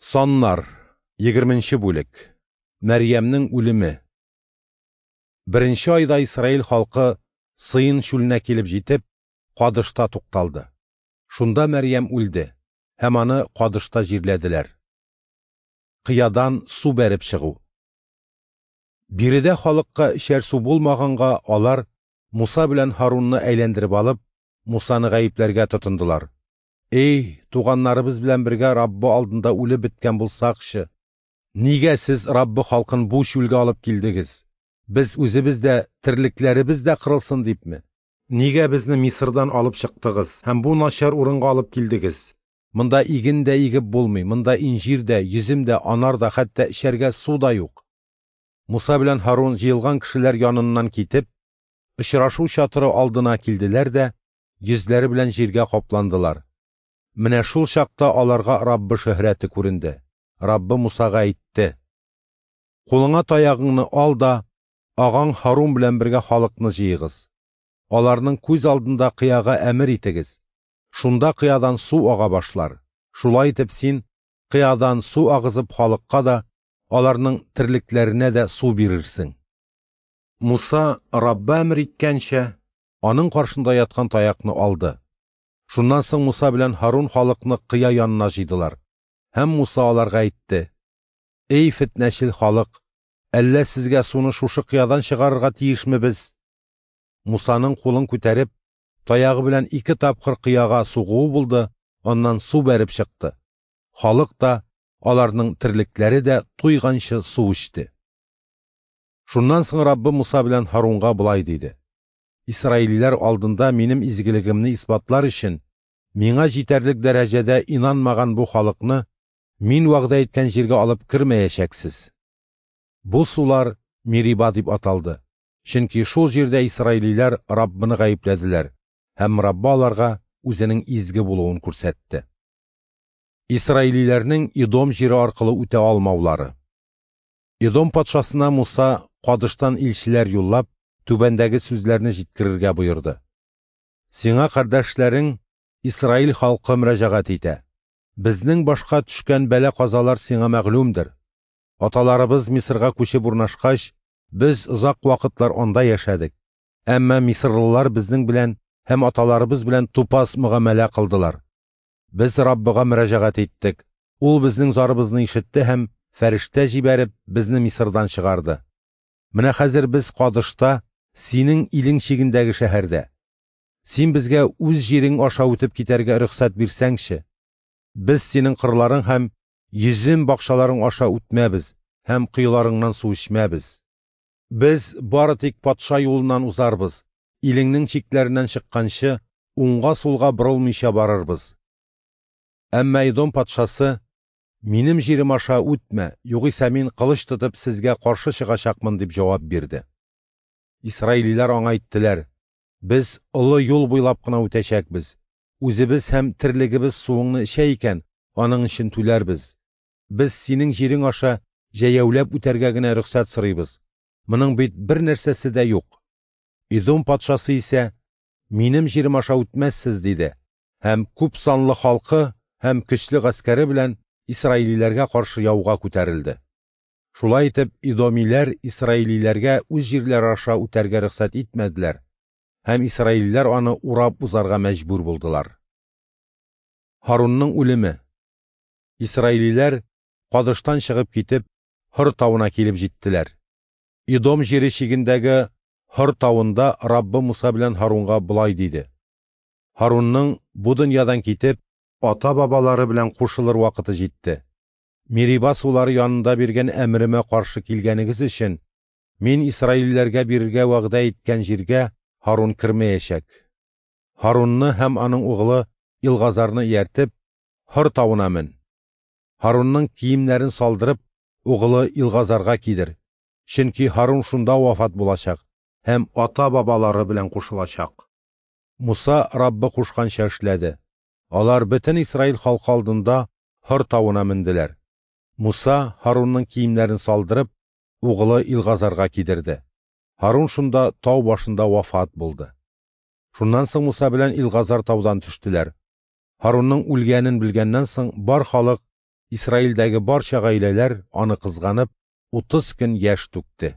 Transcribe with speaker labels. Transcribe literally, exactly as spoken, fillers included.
Speaker 1: Саннар, егерменче бүлек. Мәрьямнең үлеме. Беренче айда Исраил халкы Сыйн чүленә килеп җитеп, Кадышта тукталды. Шунда Мәрьям үлде, һәм аны Кадышта җирләделәр. Кыядан су бәреп чыгу. Биредә халыкка эчәр су булмаганга алар Муса белән Һарунны әйләндереп алып, Мусаны гаепләргә тотындылар. Эй, туганнарыбыз белән бергә Раббы алдында үлеп беткән булсакчы! Нигә сез Раббы халкын бу чүлгә алып килдегез? Без үзебез дә, терлекләребез дә кырылсын дипме? Нигә безне Мисырдан алып чыктыгыз һәм бу начар урынга алып килдегез? Монда иген дә игеп булмый, монда инҗир дә, йөзем дә, анар да, хәтта эчәргә су да юк. Муса белән Һарун җыелган кешеләр яныннан китеп, очрашу чатыры алдына килделәр дә, йөзләре белән җиргә капландылар. Менә шул чакта аларга Раббы шөһрәте күренде. Раббы Мусага әйтте: "Кулыңа таягыңны ал да, агаң Һарун белән бергә халыкны җыегыз. Аларның күз алдында кыяга әмер итегез. Шунда кыядан су ага башлар. Шулай итеп син кыядан су агызып халыкка да, аларның терлекләренә дә су бирерсең." Муса Раббы әмер иткәнчә, аның каршында яткан таякны алды. Шуннан соң Муса белән Һарун халыкны кыя янына җыйдылар. Һәм Муса аларга әйтте: "Эй, фетнәчел халык, әллә сезгә суны шушы кыядан чыгарырга тиешме без?" Мусаның кулын күтәреп, таягы белән ике тапкыр кыяга сугуы булды, аннан су бәреп чыкты. Халык та, аларның терлекләре дә туйганчы су эчте. Шуннан соң Раббы Муса белән Һарунга болай диде: "Исраилиләр алдында минем изгелегемне исбатлар өчен, миңа җитәрлек дәрәҗәдә инанмаган бу халыкны мин вәгъдә иткән җиргә алып кермәячәксез." Бу сулар Мериба дип аталды, чөнки шул җирдә исраилиләр Раббыны гаепләделәр, һәм Раббы аларга үзенең изге булуын күрсәтте. Исраилиләрнең Идом җире аркылы үтә алмаулары. Идом патшасына Муса Кадыштан илчеләр юллап, түбәндәге сүзләрне җиткерергә боерды: "Сиңа кардәшләрең Исраил халкы мөрәҗәгать итә. Безнең башка төшкән бәла-казалар сиңа мәгълүмдер. Аталарыбыз Мисырга күчеп урнашкач, без озак вакытлар анда яшәдек. Әмма мисырлылар безнең белән һәм аталарыбыз белән тупас мөгамәлә кылдылар. Без Раббыга мөрәҗәгать иттек. Ул безнең зарыбызны ишетте һәм фәрештә җибәреп безне Мисырдан чыгарды. Менә хәзер без Кадышта, синең илең чигендәге шәһәрдә. Син безгә үз җирең аша үтеп китәргә рөхсәт бирсәңче. Без синең кырларың һәм йөзем бакчаларың аша үтмәбез һәм коеларыңнан су эчмәбез. Без бары тик патша юлыннан узарбыз, илеңнең чикләреннән чыкканчы уңга-сулга борылмыйча барырбыз." Әмма Идом патшасы: "Минем җирем аша үтмә, югыйсә мин кылыч тотып сезгә каршы чыгачакмын", дип җавап бирде. Исраилиләр аңа әйттеләр: "Без олы юл буйлап кына үтәчәкбез. Үзебез һәм терлегебез суыңны эчә икән, аның өчен түләрбез. Без синең җирең аша җәяүләп үтәргә генә рөхсәт сорыйбыз. Моның бит бер нәрсәсе дә юк." Идом патшасы исә: "Минем җирем аша үтмәссез", диде һәм күп санлы халкы һәм көчле гаскәре белән исраилиләргә каршы яуга күтәрелде. Шулай итеп, идомиләр исраилиләргә үз җирләре аша үтәргә рөхсәт итмәделәр, һәм исраилиләр аны урап узарга мәҗбүр булдылар. Һарунның үлеме. Исраилиләр Кадыштан чыгып китеп, Һор тавына килеп җиттеләр. Идом җире чигендәге Һор тавында Раббы Муса белән Һарунга болай диде: "Һарунның бу дөньядан китеп, ата-бабалары белән кушылыр вакыты җитте. Мериба сулары янында биргән әмеремә каршы килгәнегез өчен, мин исраилиләргә бирергә вәгъдә иткән җиргә Һарун кермәячәк. Һарунны һәм аның угылы Илгазарны ияртеп, Һор тавына мен. Һарунның киемнәрен салдырып, угылы Илгазарга кидер. Чөнки Һарун шунда вафат булачак һәм ата-бабалары белән кушылачак." Муса Раббы кушканча эшләде. Алар бөтен Исраил халкы алдында Һор тавына менделәр. Муса Һарунның киемнәрен салдырып, угылы Илгазарга кидерде. Һарун шунда тау башында вафат булды. Шуннан соң Муса белән Илгазар таудан төштеләр. Һарунның үлгәнен белгәннән соң бар халык Исраилдәге барча гаиләләр, аны кызганып, утыз көн яшь түкте.